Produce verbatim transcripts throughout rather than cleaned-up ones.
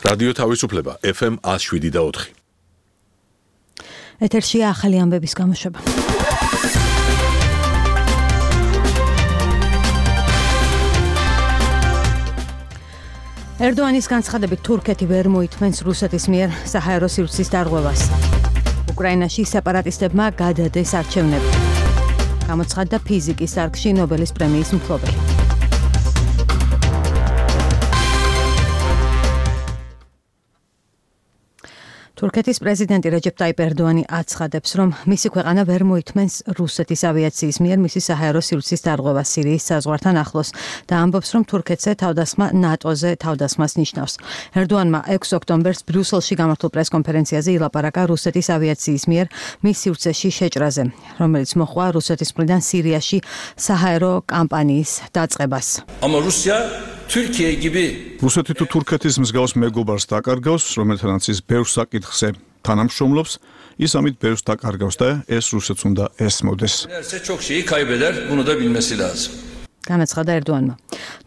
რადიო თავისუფლება ეფ ემ one oh seven და four. ეთერშია ახალი ამბების გამოშვება. ერდოანის განცხადებით თურქეთი ვერ მოითმენს რუსეთის მიერ საჰაერო სივრცის დარღვევას. უკრაინაში სეპარატისტებმა გადადეს არჩევნები. გამოცხადდა ფიზიკის დარგში ნობელის პრემიის მფლობელი. თურქეთის პრეზიდენტი რეჯეპ ტაიპ ერდოანი აცხადებს, რომ მისი ქვეყანა ვერ მოითმენს რუსეთის ავიაციის მიერ მისი საჰაერო სივრცის დარღვევას სირიის საზღვართან ახლოს და ამბობს, რომ თურქეთზე თავდასხმა ნატოზე თავდასხმას ნიშნავს. ერდოანმა ექვსი ოქტომბერს ბრიუსელში გამართულ პრესკონფერენციაზე ილაპარაკა რუსეთის ავიაციის მიერ მის სივრცეში შეჭრაზე, რომელიც მოჰყვა რუსეთის მხრიდან სირიაში საჰაერო კამპანიის დაწყებას. Ama Rusya Türkiye gibi რუსეთი თუ თურქეთის მსგავს მეგობარს დაკარგავს, რომელთანაც ის ბევრ საკითხზე თანამშრომლობს, ის ამით ბევრს დაკარგავს და ეს რუსეთს უნდა ესმოდეს. çok şeyi kaybeder, bunu da bilmesi lazım. განაცხადა ერდოანმა.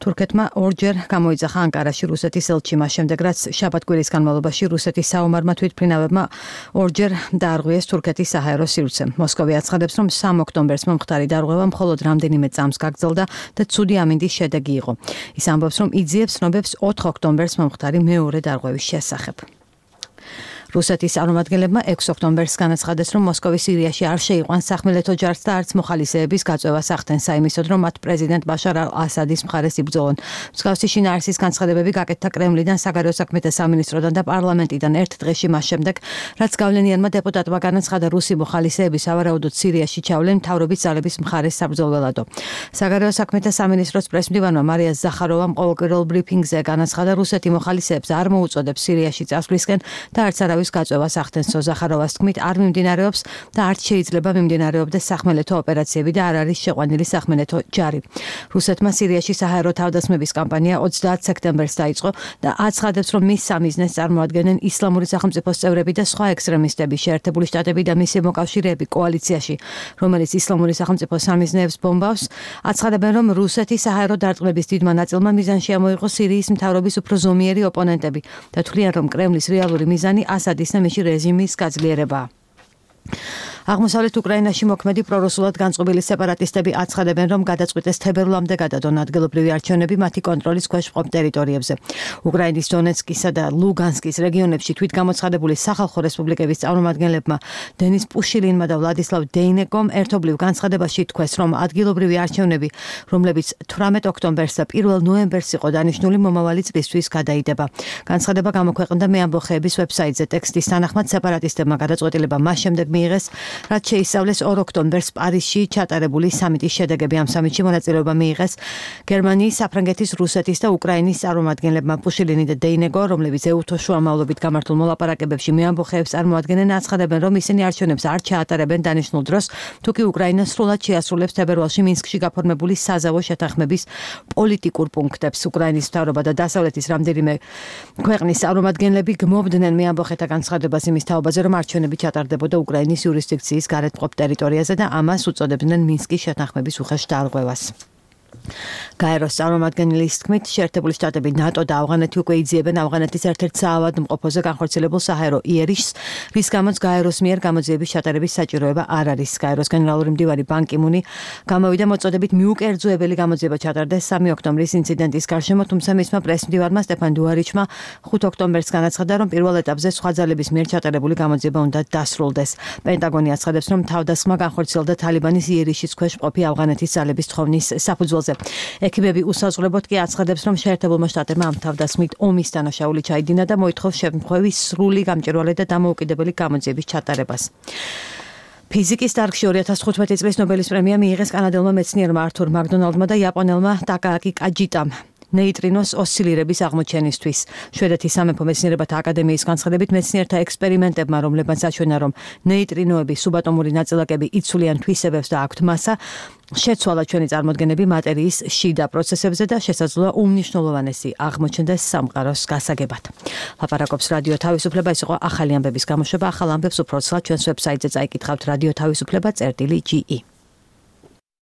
თურქეთმა ორჯერ გამოიძახა ანკარაში რუსეთის ელჩი, მას შემდეგ რაც შაბათ-კვირის განმავლობაში რუსეთის საომარმა თვითმფრინავებმა ორჯერ დაარღვიეს თურქეთის საჰაერო სივრცე. მოსკოვი აცხადებს, რომ სამი ოქტომბერს მომხდარი დარღვევა მხოლოდ რამდენიმე წამს გაგრძელდა და ცუდი ამინდის შედეგი იყო. ის ამბობს, რომ იძიებს ცნობებს ოთხი ოქტომბერს მომხდარი მეორე დარღვევის შესახებ. რუსეთის წარმომადგენლებმა ექვსი ოქტომბერს განაცხადეს, რომ მოსკოვი სირიაში არ შეიყვანს სახმელეთო ჯარს და არც მოხალისეების გაწევას ახდენს საიმისოდ, რომ მათ პრეზიდენტ ბაშარ ალ-ასადის მხარეს იბრძოლონ. მსგავსი შინაარსის განცხადებები გაკეთდა კრემლიდან, საგარეო საქმეთა სამინისტროდან და პარლამენტიდან ერთ დღეში მას შემდეგ, რაც გავლენიანმა დეპუტატმა განაცხადა რუსი მოხალისეები სავარაუდოდ სირიაში ჩავლენ მთავრობის ძალების მხარეს საბრძოლველადო. საგარეო საქმეთა სამინისტროს პრესმდივანმა მარია ზახაროვამ ყოველკვირეულ ბრიფინგზე განაცხადა, რუსეთი მოხალისეებს არ მოუწოდებს სირიაში წასვლისკენ და არც არავის გაწევას ახდენს. ზახაროვას თქმით, არ მიმდინარეობს და არც შეიძლება მიმდინარეობდეს სახმელეთო ოპერაციები და არ არის შეყვანილი სახმელეთო ჯარი. რუსეთმა სირიაში საჰაერო თავდასხმების კამპანია ოცდაათი სექტემბერს დაიწყო და აცხადებს, რომ მის სამიზნეს წარმოადგენენ ისლამური სახელმწიფოს წევრები და სხვა ექსტრემისტები, შეერთებული შტატები და მისი მოკავშირეები კოალიციაში, რომელიც ისლამური სახელმწიფოს სამიზნეებს ბომბავს. აცხადებენ, რომ რუსეთის საჰაერო დარტყმების დიდმა ნაწილმა მიზანში ამოიღო სირიის მთავრობის უფრო ზომიერი ოპონენტები და თვლიან, რომ კრემლის რეალური მიზანი ასადის ნამიში რეჟიმის გაძლიერება. აღმოსავლეთ უკრაინაში მოქმედი პრორუსულად განწყობილი სეპარატისტები აცხადებენ, რომ გადაწყვიტეს თებერვლამდე გადადონ ადგილობრივი არჩევნები მათი კონტროლის ქვეშ მყოფ ტერიტორიებზე. უკრაინის დონეცკისა და ლუგანსკის რეგიონებში თვითგამოცხადებული სახალხო რესპუბლიკების წარმომადგენლებმა დენის პუშილინმა და ვლადისლავ დეინეკომ ერთობლივ განცხადებაში თქვეს, რომ ადგილობრივი არჩევნები, რომლებიც თვრამეტი ოქტომბერს და პირველი ნოემბერს იყო დანიშნული, მომავალი წლისთვის გადაიდება. განცხადება გამოქვეყნდა მეამბოხეების ვებსაიტზე. ტექსტის თანახმად სეპარატისტებმა გადაწყვეტილება მას შემდეგ მიიღეს, რაც შეისწავლეს ორ ოქტომბერს პარიზში ჩატარებული სამიტის შედეგები. ამ სამიტში მონაწილეობა მიიღეს გერმანიის, საფრანგეთის, რუსეთის და უკრაინის წარმომადგენლებმა. პუშილინი და დეინეკო, რომლებიც ეუთოს შუამავლობით გამართულ მოლაპარაკებებში მეამბოხეებს წარმოადგენენ, აცხადებენ, რომ ისინი არჩევნებს არ ჩაატარებენ დანიშნულ დროს, თუკი უკრაინა სრულად შეასრულებს თებერვალში მინსკში გაფორმებული საზავო შეთანხმების პოლიტიკურ პუნქტებს. უკრაინის მთავრობა და დასავლეთის რამდენიმე ქვეყნის წარმომადგენლები გმობდნენ მეამბოხეთა განცხადებას იმის თაობაზე, რომ არჩევნები ჩატარდებოდა უკრაინის იურისდიქციის გარეთ მყოფ ტერიტორიაზე და ამას უწოდებდნენ მინსკის შეთანხმების უხეშ დარღვევას. გაეროს წარმომადგენლის თქმით, შეერთებული შტატები, ნატო და ავღანეთი უკვე იძიებენ ავღანეთის ერთ-ერთ საავადმყოფოზე განხორციელებულ საჰაერო იერიშს, რის გამოც გაეროს მიერ გამოძიების ჩატარების საჭიროება არ არის. გაეროს გენერალური მდივარი ბან კი მუნი გამოვიდა მოწოდებით მიუკერძოებელი გამოძიება ჩატარდეს სამი ოქტომბრის ინციდენტის გარშემო, თუმცა მისმა პრესმდივარმა სტეფან დუარიჩმა ხუთი ოქტომბერს განაცხადა, რომ პირველ ეტაპზე სხვა ძალების მიერ ჩატარებული გამოძიება უნდა დასრულდეს. პენტაგონი აცხადებს, რომ თავდასხმა განხორციელდა თალიბანის იერიშის ქვეშ მყოფი ავღანეთის ძალების თხოვნის საფუძველზე. ექიმები უსაზღვრებოდ კი აცხადებს, რომ შეერთებულმა შტატებმა ამ თავდასხმით ომის დანაშაული ჩაიდინა და მოითხოვს შემთხვევის სრული გამჭვირვალე და დამოუკიდებელი გამოძიების ჩატარებას. ფიზიკის დარგში ორი ათას თხუთმეტი წლის ნობელის პრემია მიიღეს კანადელმა მეცნიერმა ართურ მაკდონალდმა და იაპონელმა ტაკააკი კაჯიტამ. ნეიტრინოს ოსცილირების აღმოჩენისთვის. შვედეთის სამეფო მეცნიერებათა აკადემიის განცხადებით, მეცნიერთა ექსპერიმენტებმა, რომლებმაც აჩვენა, რომ ნეიტრინოები, სუბატომური ნაწილაკები იცვლიან თვისებებს და აქვთ მასა, შეცვალა ჩვენი წარმოდგენები მატერიის შიდა პროცესებზე და შესაძლოა უმნიშვნელოვანესი აღმოჩნდეს სამყაროს გასაგებად. ლაპარაკობს რადიო თავისუფლება, ეს იყო ახალი ამბების გამოშვება. ახალ ამბებს უფრო ცალ ჩვენს ვებსაიტზე წაიკითხავთ რადიო თავისუფლება წერტილი ჯი ი.